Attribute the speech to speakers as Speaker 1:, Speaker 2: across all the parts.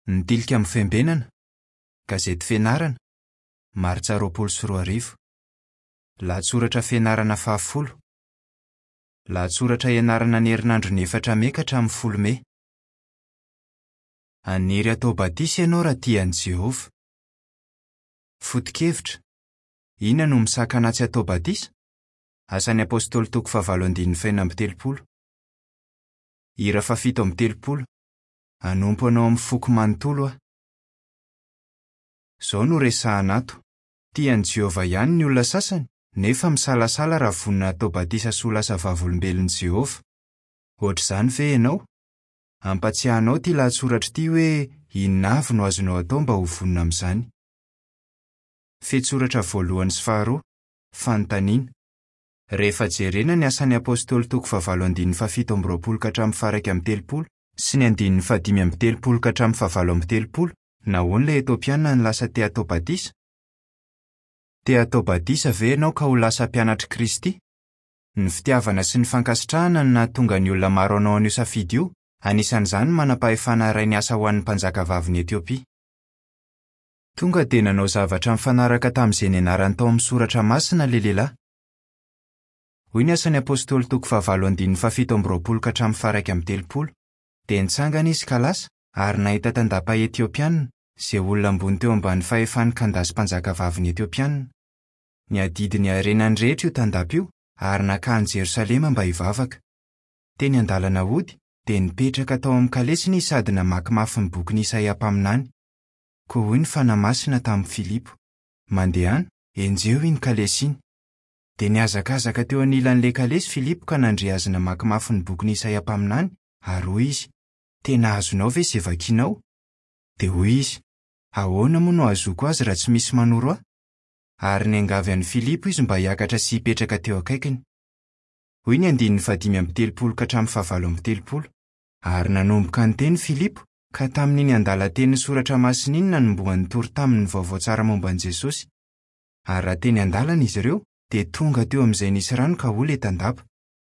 Speaker 1: Ny Tilikambo Fiambenana, Gazety Fianarana, Martsa 2020. Lahatsoratra fianarana fahafolo. Lahatsoratra ianarana ny herinandron'ny 4 Mey ka hatramin'ny 10 Mey. Haniry hatao batisa ianao raha tia an'i Jehovah. Foto-kevitra, Inona no misakana ahy tsy hatao batisa? Asan'ny Apostoly toko fahavalo andininy fahenina amby telopolo. Hira fahafito amby telopolo. Hanompo anao amin'ny foko manontolo aho. Izao no resahina ato, Tia an'i Jehovah ihany ny olona sasany, nefa misalasala raha vonona hatao batisa sy ho lasa Vavolombelon'i Jehovah. Hoatr'izany ve ianao? Hampatsiahy anao ity lahatsoratra ity hoe inona avy no azonao atao mba ho vonona amin'izany. Fehintsoratra voalohany sy faharoa, Fanontaniana. Rehefa jerena ny Asan'ny Apostoly toko fahavalo andininy fahafito amby roapolo ka hatramin'ny faha-31 sy ny andininy fahadimy amby telopolo ka hatramin'ny fahavalo amby telopolo, nahoana ilay Etiopiana no lasa te hatao batisa? Te hatao batisa ve ianao ka ho lasa mpianatr'i Kristy? Ny fitiavana sy ny fankasitrahana no nahatonga ny olona maro hanao an'io safidy io, anisan'izany ny manam-pahefana iray niasa ho an'ny mpanjakavavin'i Etiopia. Tonga dia nanao zavatra nifanaraka tamin'izay nianarany tao amin'ny Soratra Masina ilay lehilahy. Hoy ny Asan'ny Apostoly toko fahavalo andininy fahafito amby roapolo ka hatramin'ny faha-31, Dia nitsangana izy ka lasa, ary nahita tandapa Etiopiana, izay olona ambony teo ambany fahefan'i Kandasy mpanjakavavin'i Etiopiana. Niadidy ny harenany rehetra io tandapa io, ary nankany Jerosalema mba hivavaka. Teny an-dalana hody, dia nipetraka tao amin'ny kalesiny izy sady namaky mafy ny bokin'i Isaia mpaminany. Koa hoy ny Fanahy Masina tamin'i Filipo, Mandehana, enjeho iny kalesy iny. Dia nihazakazaka teo anilan'ilay kalesy Filipo ka nandre azy namaky mafy ny bokin'i Isaia mpaminany, ary hoy izy, Tena azonao ve izay vakinao? Dia hoy izy, Ahoana moa no hahazoako azy raha tsy misy manoro ahy? Ary niangavy an'i Filipo izy mba hiakatra sy hipetraka teo akaikiny. Hoy ny andininy fahadimy amby telopolo ka hatramin'ny fahavalo amby telopolo, Ary nanomboka niteny Filipo, ka tamin'iny andalan-tenin'ny Soratra Masina iny nanombohany nitory taminy ny vaovao tsara momba an'i Jesosy. Ary raha teny an-dalana izy ireo, dia tonga teo amin'izay nisy rano ka hoy ilay tandapa,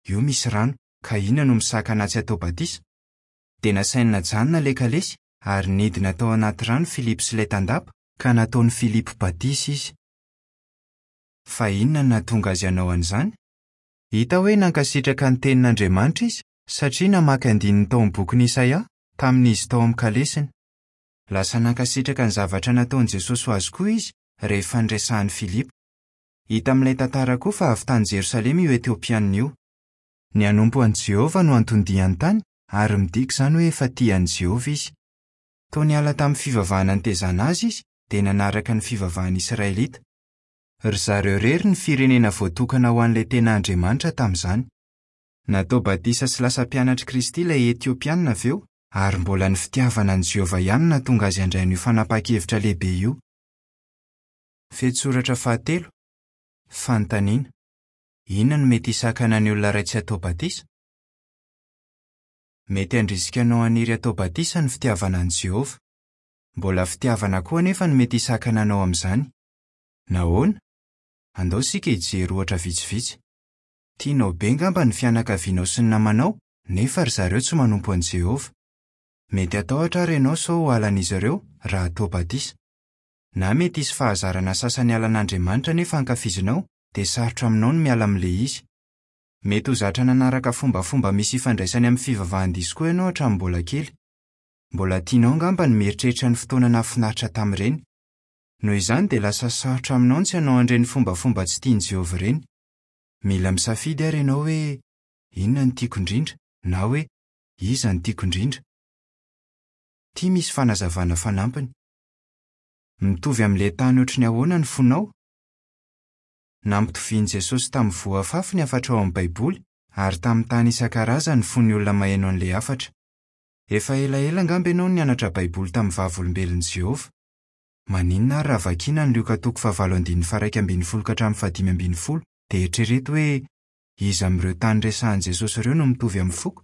Speaker 1: Io misy rano, ka inona no misakana ahy tsy hatao batisa? Dia nasainy najanona ilay kalesy, ary nidina tao anaty rano Filipo sy ilay tandapa, ka nataon'i Filipo batisa izy. Fa inona no nahatonga azy hanao an'izany? Hita hoe nankasitraka ny Tenin'Andriamanitra izy, satria namaky andininy tao amin'ny bokin'i Isaia, tamin'izy tao amin'ny kalesiny. Lasa nankasitraka ny zavatra nataon'i Jesosy ho azy koa izy, rehefa niresahan'i Filipo. Hita amin'ilay tantara koa fa avy tany Jerosalema io Etiopianina io. Ny hanompo an'i Jehovah no anton-diany tany, ary midika izany hoe efa tia an'i Jehovah izy. Toa niala tamin'ny fivavahana nitaizana azy izy, dia nanaraka ny fivavahan'ny Israelita. Ry zareo irery ny firenena voatokana ho an'ilay tena Andriamanitra tamin'izany. Natao batisa sy lasa mpianatr'i Kristy ilay Etiopianina avy eo, ary mbola ny fitiavana an'i Jehovah ihany no nahatonga azy handray an'io fanapahan-kevitra lehibe io. Fehintsoratra fahatelo, Fanontaniana, Inona no mety hisakana ny olona iray tsy hatao batisa? Mety handrisika anao haniry hatao batisa ny fitiavana an'i Jehovah. Mbola fitiavana koa anefa no mety hisakana anao amin'izany. Nahoana? Andao isika hijery ohatra vitsivitsy. Tianao be angamba ny fianakavianao sy ny namanao, nefa ry zareo tsy manompo an'i Jehovah. Mety hatahotra àry ianao sao ho halan'izy ireo, raha atao batisa. Na mety hisy fahazarana sasany halan'Andriamanitra nefa ankafizinao, dia sarotra aminao ny miala amin'ilay izy. Mety ho zatra nanaraka fombafomba misy ifandraisany amin'ny fivavahan-diso koa ianao hatramin'ny mbola kely. Mbola tianao angamba ny mieritreritra ny fotoana nahafinaritra tamin'ireny. Noho izany, dia lasa sarotra aminao ny tsy hanao an'ireny fombafomba tsy tian'i Jehovah ireny. Mila misafidy àry ianao hoe, 'Inona no tiako indrindra? na hoe, 'Iza no tiako indrindra? Ity misy fanazavana fanampiny. Mitovy amin'ilay tany hoatry ny ahoana ny fonao? Nampitovian'i Jesosy tamin'ny voa afafy ny hafatra ao amin'ny Baiboly, ary tamin'ny tany isan-karazany ny fon'ny olona maheno an'ilay hafatra. Efa elaela angamba ianao no nianatra Baiboly tamin'ny Vavolombelon'i Jehovah. Maninona àry raha vakina ny Lioka toko fahavalo andininy faha-11 ka hatramin'ny fahadimy ambin'ny folo, dia eritrereto hoe, 'Iza amin'ireo tany resahin'i Jesosy ireo no mitovy amin'ny foko?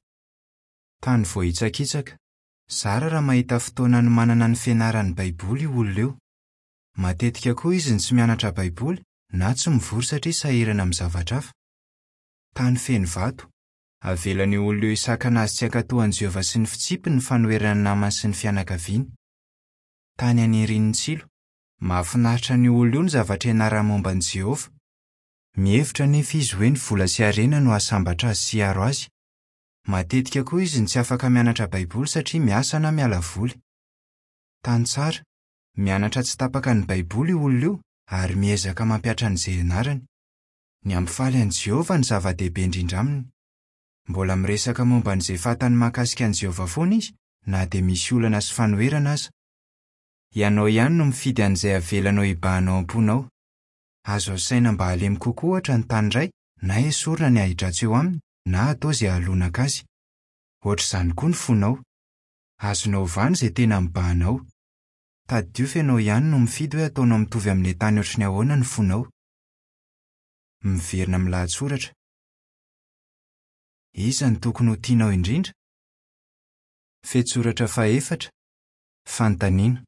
Speaker 1: Tany voahitsakitsaka. Zara raha mahita fotoana hanomanana ny fianarany Baiboly io olona io. Matetika koa izy no tsy mianatra Baiboly na tsy mivory satria sahirana amin'ny zavatra hafa. Tany feno vato. Avelan'io olona io hisakana azy tsy hankatò an'i Jehovah sy ny fitsipiny ny fanoheran'ny namany sy ny fianakaviany. Tany anirian'ny tsilo. Mahafinaritra an'io olona io ny zavatra ianarany momba an'i Jehovah. Mihevitra anefa izy hoe ny vola sy harena no hahasambatra azy sy hiaro azy. Matetika koa izy no tsy afaka mianatra Baiboly satria miasa na miala voly. Tany tsara. Mianatra tsy tapaka ny Baiboly io olona io ary miezaka mampihatra an'izay ianarany. Ny hampifaly an'i Jehovah no zava-dehibe indrindra aminy. Mbola miresaka momba an'izay fantany mahakasika an'i Jehovah foana izy, na dia misy olana sy fanoherana aza. Ianao ihany no mifidy an'izay avelanao hibahana ao am-ponao. Azo asaina mba halemy kokoa, ohatra, ny tany iray, na esorina ny ahidratsy eo aminy, na atao izay hahalonaka azy. Hoatr'izany koa ny fonao. Azonao ovana izay tena mibahana ao. Tadidio fa ianao ihany no mifidy hoe ataonao mitovy amin'ilay tany ohatry ny ahoana ny fonao. Miverina amin'ny lahatsoratra. Iza no tokony ho tianao indrindra? Fehintsoratra fahefatra, Fanontaniana,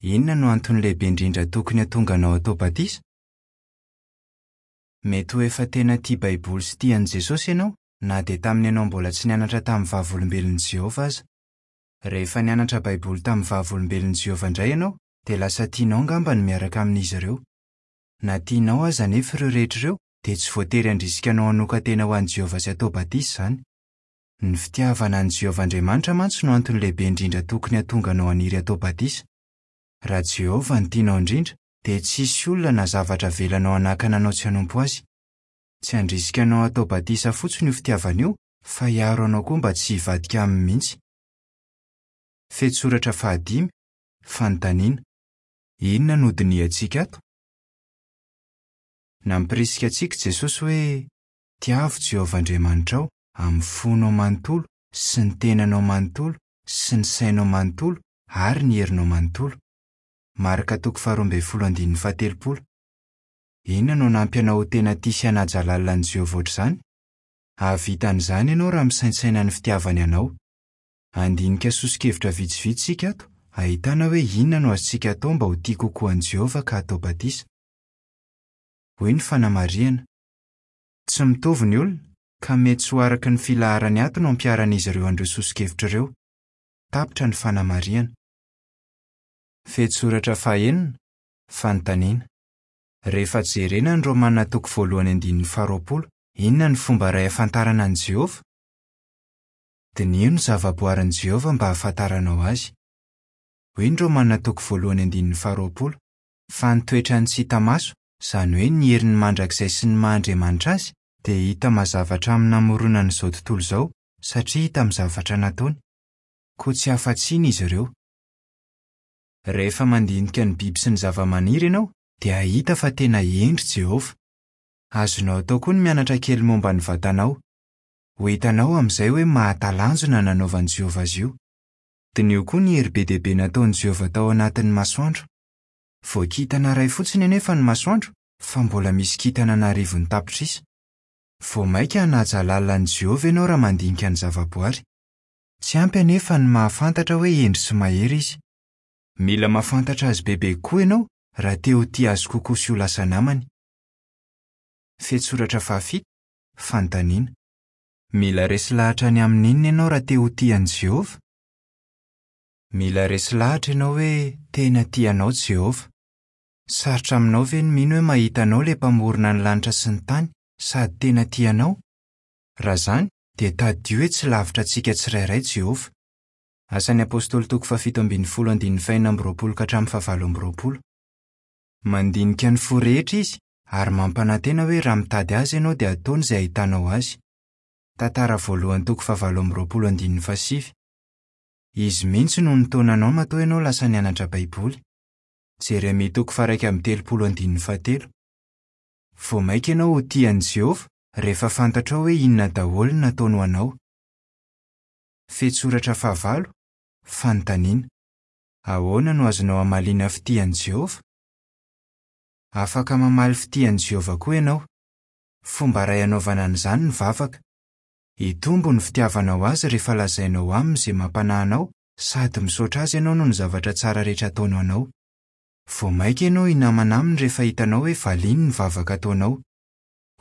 Speaker 1: Inona no antony lehibe indrindra tokony hahatonga anao hatao batisa? Mety ho efa tena tia Baiboly sy tia an'i Jesosy ianao, na dia tamin'ny ianao mbola tsy nianatra tamin'ny Vavolombelon'i Jehovah aza. Rehefa nianatra Baiboly tamin'ny Vavolombelon'i Jehovah indray ianao, dia lasa tianao angamba ny miaraka amin'izy ireo. Na tianao aza anefa ireo rehetra ireo, dia tsy voatery handrisika anao hanokan-tena ho an'i Jehovah sy hatao batisa izany. Ny fitiavana an'i Jehovah Andriamanitra mantsy no antony lehibe indrindra tokony hahatonga anao haniry hatao batisa. Raha Jehovah no tianao indrindra, dia tsy hisy olona na zavatra avelanao hanakana anao tsy hanompo azy. Tsy handrisika anao hatao batisa fotsiny io fitiavana io, fa hiaro anao koa mba tsy hivadika aminy mihitsy. Fehintsoratra fahadimy, Fanontaniana, Inona no hodinihantsika ato? Nampirisika antsika i Jesosy hoe, Tiavo Jehovah Andriamanitrao amin'ny fonao manontolo sy ny tenanao manontolo sy ny sainao manontolo ary ny herinao manontolo. Marka toko faharoa ambin'ny folo andininy faha-telopolo. Inona no hanampy anao ho tena tia sy hanaja lalina an'i Jehovah hoatr'izany? Hahavita an'izany ianao raha misaintsaina ny fitiavany anao. Handinika soso-kevitra vitsivitsy isika ato, ahitana hoe inona no azontsika atao mba ho tia kokoa an'i Jehovah ka hatao batisa. Hoy ny fanamarihana, Tsy mitovy ny olona, ka mety tsy ho araka ny filaharany ato no ampiharan'izy ireo an'ireo soso-kevitra ireo. Tapitra ny fanamarihana. Fehintsoratra fahenina, Fanontaniana. Rehefa jerena ny Romana toko voalohany andininy faharoapolo, inona no fomba iray ahafantarana an'i Jehovah? Diniho ny zavaboarin'i Jehovah mba hahafantaranao azy. Hoy ny Romana toko voalohany andininy faharoapolo, Fa ny toetrany tsy hita maso, izany hoe ny heriny mandrakizay sy ny maha Andriamanitra azy, dia hita mazava hatramin'ny namoronany izao tontolo izao, satria hita amin'ny zavatra nataony. Koa tsy afa-tsiny izy ireo. Rehefa mandinika ny biby sy ny zavamaniry ianao, dia hahita fa tena hendry Jehovah. Azonao atao koa ny mianatra kely momba ny vatanao. Ho hitanao amin'izay hoe mahatalanjona ny nanaovan'i Jehovah azy io. Diniho koa ny hery be dia be nataon'i Jehovah tao anatin'ny masoandro. Vao kintana iray fotsiny anefa ny masoandro, fa mbola misy kintana an'arivony tapitrisa. Vao mainka hanaja lalina an'i Jehovah ianao raha mandinika ny zavaboary. Tsy ampy anefa ny mahafantatra hoe hendry sy mahery izy. Mila mahafantatra azy bebe kokoa ianao raha te ho tia azy kokoa sy ho lasa namany. Fehintsoratra fahafito, Fanontaniana. Mila resy lahatra ny amin'inona ianao raha te ho tia an'i Jehovah? Mila resy lahatra ianao hoe tena tia anao Jehovah. Sarotra aminao ve ny mino hoe mahita anao ilay Mpamorona ny lanitra sy ny tany, sady tena tia anao? Raha izany, dia tadidio hoe tsy lavitra antsika tsirairay Jehovah. Asan'ny Apostoly toko fahafito ambin'ny folo andininy fahenina amby roapolo ka hatramin'ny fahavalo amby roapolo. Mandinika ny fo rehetra izy, ary mampanantena hoe raha mitady azy ianao dia hataony izay hahitanao azy. Tantara voalohany toko fahavalo amby roapolo andininy fahasivy. Izy mihitsy no nitaona anao matoa ianao lasa nianatra Baiboly. Jeremia toko faha-31 andininy fahatelo. Vao mainka ianao ho tia an'i Jehovah rehefa fantatrao hoe inona daholo no nataony ho anao. Fehintsoratra fahavalo, Fanontaniana. Ahoana no azonao amaliana fitia an'i Jehovah? Afaka mamaly fitia an'i Jehovah koa ianao. Fomba iray anaovana an'izany ny vavaka. Hitombo ny fitiavanao azy rehefa lazainao aminy izay mampanahy anao sady misaotra azy ianao noho ny zavatra tsara rehetra ataony ho anao. Vao mainka ianao hinamana aminy rehefa hitanao hoe valiany ny vavaka ataonao.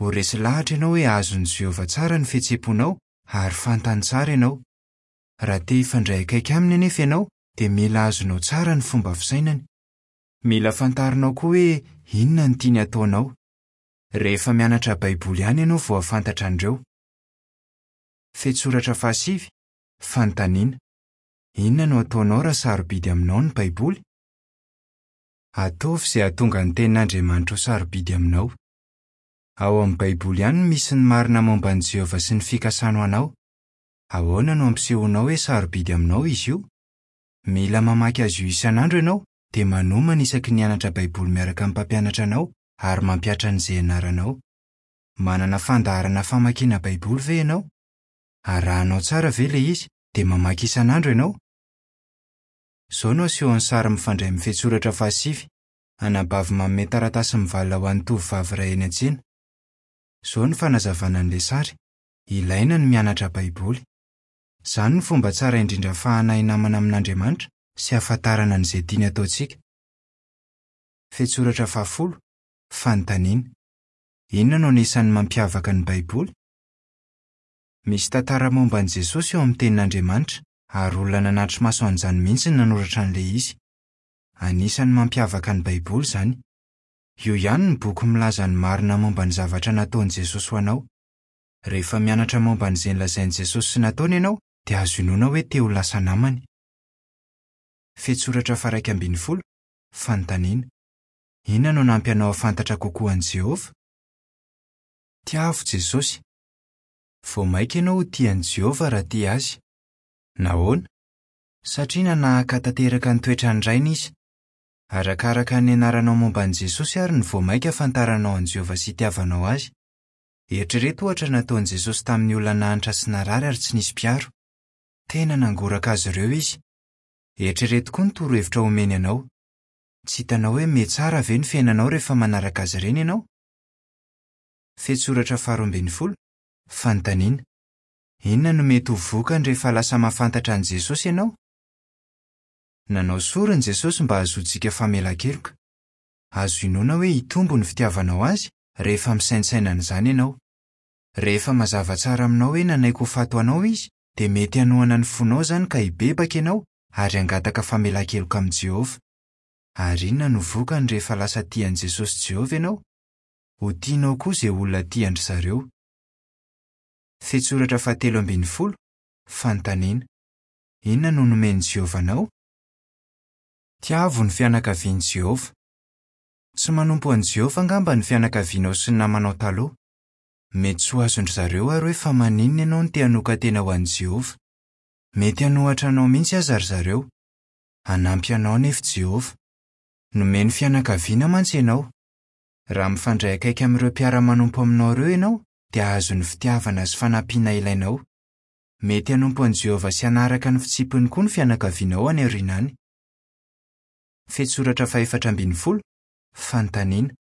Speaker 1: Ho resy lahatra ianao hoe azon'i Jehovah tsara ny fihetseham-ponao ary fantany tsara ianao. Raha te hifandray akaiky aminy anefa ianao, dia mila azonao tsara ny fomba fisainany. Mila fantarinao koa hoe inona no tiany hataonao. Rehefa mianatra Baiboly ihany ianao vao hahafantatra an'ireo. Fehintsoratra fahasivy, Fanontaniana, Inona no hataonao raha sarobidy aminao ny Baiboly? Ataovy izay hahatonga ny Tenin'Andriamanitra ho sarobidy aminao. Ao amin'ny Baiboly ihany no misy ny marina momba an'i Jehovah sy ny fikasany ho anao. Ahoana no ampisehoanao hoe sarobidy aminao izy io? Mila mamaky azy io isan'andro ianao, dia manomana isaky ny hianatra Baiboly miaraka amin'ny mpampianatra anao ary mampihatra an'izay ianaranao. Manana fandaharana famakiana Baiboly ve ianao? Arahanao tsara ve ilay izy, dia mamaky isan'andro ianao? Izao no asehon'ny sary mifandray amin'ny fehintsoratra fahasivy, Anabavy manome taratasy mivalona ho an'ny tovovavy iray eny an-tsena. Izao no fanazavana an'ilay sary, Ilaina ny mianatra Baiboly. Izany no fomba tsara indrindra ahafahana hinamana amin'Andriamanitra sy hahafantarana an'izay tiany hataontsika. Fehintsoratra fahafolo, Fanontaniana, Inona no anisan'ny mampiavaka ny Baiboly? Misy tantara momba an'i Jesosy ao amin'ny Tenin'Andriamanitra, ary olona nanatri-maso an'izany mihitsy no nanoratra an'ilay izy. Anisan'ny mampiavaka ny Baiboly izany. Io ihany no boky milaza ny marina momba ny zavatra nataon'i Jesosy ho anao. Rehefa mianatra momba an'izay nolazain'i Jesosy sy nataony ianao, dia azo inoana hoe te ho lasa namany. Fehintsoratra faha-11, Fanontaniana, Inona no hanampy anao hahafantatra kokoa an'i Jehovah? Tiavo Jesosy. Vao mainka ianao ho tia an'i Jehovah raha tia azy. Nahoana? Satria nanahaka tanteraka ny toetran'ny Rainy izy. Arakaraka ny nianaranao momba an'i Jesosy àry no vao mainka ahafantaranao an'i Jehovah sy itiavanao azy. Eritrereto ohatra ny nataon'i Jesosy tamin'ny olona nahantra sy narary ary tsy nisy mpiaro. Tena nangoraka azy ireo izy. Eritrereto koa ny torohevitra omeny anao. Tsy hitanao hoe mihatsara ve ny fiainanao rehefa manaraka azy ireny ianao? Fehintsoratra faharoa ambin'ny folo, Fanontaniana, Inona no mety ho vokany rehefa lasa mahafantatra an'i Jesosy ianao? Nanao sorona i Jesosy mba hahazoantsika famelan-keloka. Azo inoana hoe hitombo ny fitiavanao azy rehefa misaintsaina an'izany ianao. Rehefa mazava tsara aminao hoe nanaiky ho faty ho anao izy, dia mety hanohana ny fonao izany ka hibebaka ianao ary hangataka famelan-keloka amin'i Jehovah. Ary inona no vokany rehefa lasa tia an'i Jesosy sy Jehovah ianao? Ho tianao koa izay olona tia an-dry zareo. Fehintsoratra fahatelo ambin'ny folo, Fanontaniana, Inona no nomen'i Jehovah anao? Tiavo ny fianakavian'i Jehovah. Tsy manompo an'i Jehovah angamba ny fianakavianao sy ny namanao taloha. Mety tsy ho azon-dry zareo àry hoe fa maninona ianao no te hanokan-tena ho an'i Jehovah. Mety hanohatra anao mihitsy aza ry zareo. Hanampy anao anefa i Jehovah. Nomeny fianakaviana mantsy ianao. Raha mifandray akaiky amin'ireo mpiara-manompo aminao ireo ianao, dia hahazo ny fitiavana sy fanampiana ilainao. Mety hanompo an'i Jehovah sy hanaraka ny fitsipiny koa ny fianakavianao any aoriana any. Fehintsoratra fahefatra ambin'ny folo, Fanontaniana,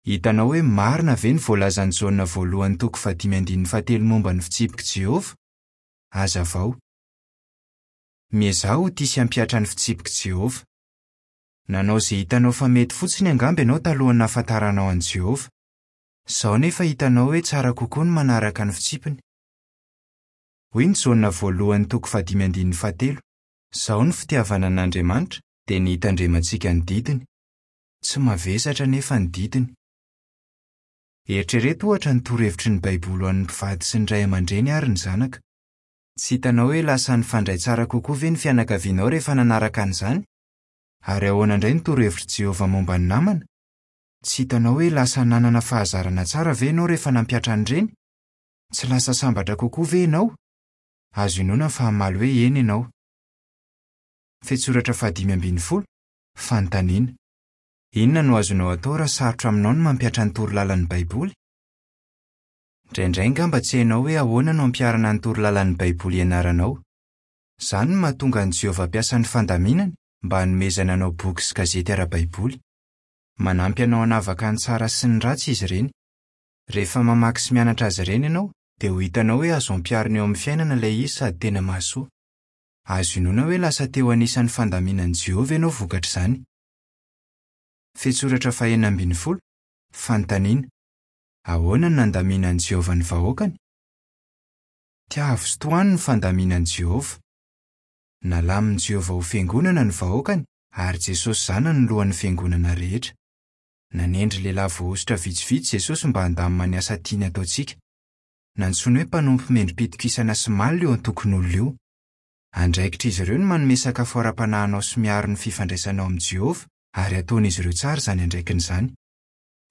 Speaker 1: Hitanao hoe marina ve ny voalazan'i Jaona voalohany toko fahadimy andininy fahatelo momba ny fitsipik'i Jehovah? Hazavao. Miezaha ho tia sy hampihatra ny fitsipik'i Jehovah. Nanao izay hitanao fa mety fotsiny angamba ianao talohan'ny nahafantaranao an'i Jehovah. Izao anefa hitanao hoe tsara kokoa ny manaraka ny fitsipiny. Hoy ny Jaona voalohany toko fahadimy andininy fahatelo, Izao ny fitiavana an'Andriamanitra, dia ny hitandremantsika ny didiny. Tsy mavesatra anefa ny didiny. Eritrereto ohatra ny torohevitry ny Baiboly ho an'ny mpivady sy ny ray aman-dreny ary ny zanaka. Tsy hitanao hoe lasa nifandray tsara kokoa ve ny fianakavianao rehefa nanaraka an'izany? Ary ahoana indray ny torohevitr'i Jehovah momba ny namana? Tsy hitanao hoe lasa nanana fahazarana tsara ve ianao rehefa nampihatra an'ireny? Tsy lasa sambatra kokoa ve ianao? Azo inoana fa hamaly hoe eny ianao. Fehintsoratra fahadimy ambin'ny folo, Fanontaniana, Inona no azonao atao raha sarotra aminao ny mampihatra ny torolalan'ny Baiboly? Indraindray angamba tsy hainao hoe ahoana no ampiharana ny torolalan'ny Baiboly ianaranao. Izany no mahatonga an'i Jehovah hampiasa ny fandaminany mba hanomezana anao boky sy gazety ara-baiboly. Manampy anao hanavaka ny tsara sy ny ratsy izy ireny. Rehefa mamaky sy mianatra azy ireny ianao, dia ho hitanao hoe azo ampiharina eo amin'ny fiainana ilay izy sady tena mahasoa. Azo inoana hoe lasa te ho anisan'ny fandaminan'i Jehovah ianao vokatr'izany. Fehintsoratra fahenina ambin'ny folo, Fanontaniana, Ahoana no nandaminan'i Jehovah ny vahoakany? Tiavo sy tohano ny fandaminan'i Jehovah. Nalamin'i Jehovah ho fiangonana ny vahoakany, ary Jesosy Zanany no lohan'ny fiangonana rehetra. Nanendry lehilahy voahosotra vitsivitsy Jesosy mba handamina ny asa tiany hataontsika. Nantsoiny hoe mpanompo mendri-pitokisana sy malina io antokon'olona io. Andraikitr'izy ireo ny manome sakafo ara-panahy anao sy miaro ny fifandraisanao amin'i Jehovah, ary ataon'izy ireo tsara izany andraikiny izany.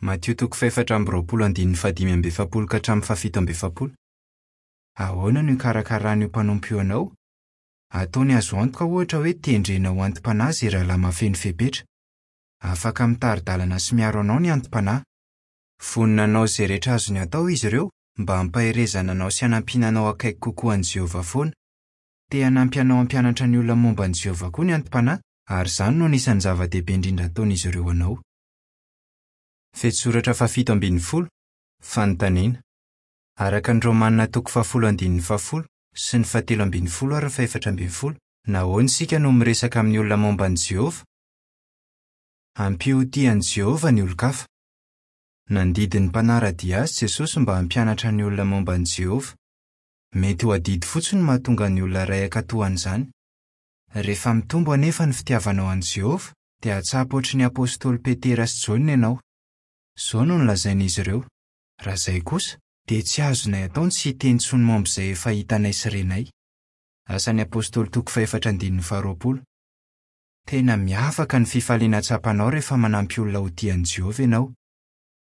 Speaker 1: Matio toko fahefatra amby 20 andininy fahadimy amby efapolo ka hatramin'ny fahafito amby efapolo. Ahoana no ikarakaran'io mpanompo io anao? Ataony azo antoka ohatra hoe tendrena ho anti-panahy izay rahalahy mahafeno fepetra. Afaka mitari-dalana sy miaro anao ny anti-panahy. Vonona hanao izay rehetra azony atao izy ireo mba hampaherezana anao sy hanampiana anao akaiky kokoa an'i Jehovah foana. Te hanampy anao hampianatra ny olona momba an'i Jehovah koa ny anti-panahy, ary izany no anisan'ny zava-dehibe indrindra ataon'izy ireo anao. Fehintsoratra fahafito ambin'ny folo, Fanontaniana. Araka ny Romanina toko fahafolo andininy fahafolo sy ny fahatelo ambin'ny folo ary ny fahefatra ambin'ny folo, nahoana isika no miresaka amin'ny olona momba an'i Jehovah? Ampio ho tia an'i Jehovah ny olon-kafa. Nandidy ny mpanara-dia azy Jesosy mba hampianatra ny olona momba an'i Jehovah. Mety ho adidy fotsiny no mahatonga ny olona iray hankatò an'izany. Rehefa mitombo anefa ny fitiavanao an'i Jehovah, dia hahatsapa hoatry ny apostoly Petera sy Jaona ianao. Izao no nolazain'izy ireo, Raha izay kosa, dia tsy azonay atao ny tsy hiteny intsony momba izay efa hitanay sy renay. Asan'ny Apostoly toko fahefatra andininy faharoapolo. Tena miavaka ny fifaliana tsapanao rehefa manampy olona ho tia an'i Jehovah ianao.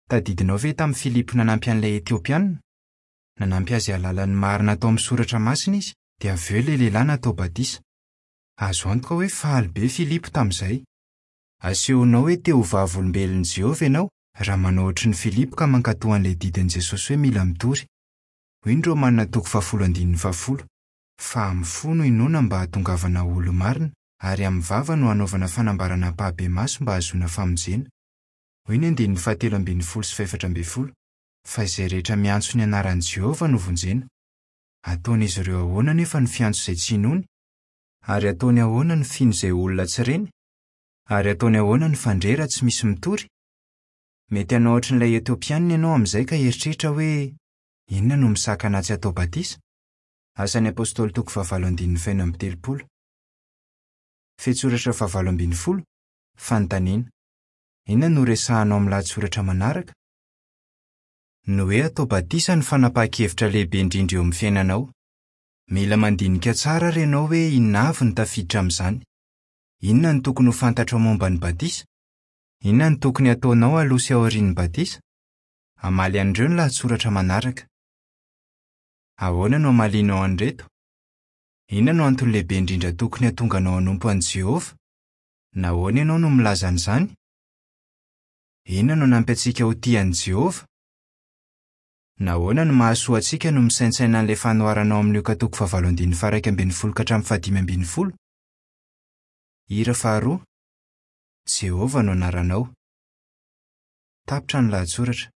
Speaker 1: Tadidinao ve tamin'i Filipo nanampy an'ilay Etiopianina? Nanampy azy hahalala ny marina tao amin'ny Soratra Masina izy, dia avy eo ilay lehilahy natao batisa. Azo antoka hoe faly be Filipo tamin'izay. Asehonao hoe te ho Vavolombelon'i Jehovah ianao, raha manao hoatran'i Filipo ka mankatò an'ilay didin'i Jesosy hoe mila mitory. Hoy ny Romanina toko fahafolo andininy fahafolo, Fa amin'ny fo no inoana mba hahatongavana ho olo-marina, ary amin'ny vava no hanaovana fanambarana ampahibemaso mba hahazoana famonjena. Hoy ny andininy fahatelo ambin'ny folo sy fahefatra ambin'ny folo, Fa izay rehetra miantso ny anaran'i Jehovah no vonjena. Ataon'izy ireo ahoana anefa ny fiantso izay tsy inoany? Ary ataony ahoana ny fino izay olona tsy reny? Ary ataony ahoana ny fandre raha tsy misy mitory? Mety hanao hoatran'ilay Etiopianina ianao amin'izay ka hieritreritra hoe, 'Inona no misakana ahy tsy hatao batisa? Asan'ny Apostoly toko fahavalo andininy fahenina amby telopolo. Fehintsoratra fahavalo ambin'ny folo, Fanontaniana. Inona no horesahanao amin'ny lahatsoratra manaraka? Ny hoe atao batisa no fanapahan-kevitra lehibe indrindra eo amin'ny fiainanao. Mila mandinika tsara àry ianao hoe inona avy no tafiditra amin'izany. Inona no tokony ho fantatrao momba ny batisa? Inona no tokony hataonao aloha sy aorian'ny batisa? Hamaly an'ireo ny lahatsoratra manaraka. Ahoana no hamalianao an'ireto? Inona no antony lehibe indrindra tokony hahatonga anao hanompo an'i Jehovah? Nahoana ianao no milaza an'izany? Inona no hanampy antsika ho tia an'i Jehovah? Nahoana no mahasoa antsika no misaintsaina an'ilay fanoharana ao amin'ny Lioka toko fahavalo andininy faha-iraika ambin'ny folo ka hatramin'ny fahadimy ambin'ny folo? Hira faharoa, Jehovah no anaranao. Tapitra ny lahatsoratra.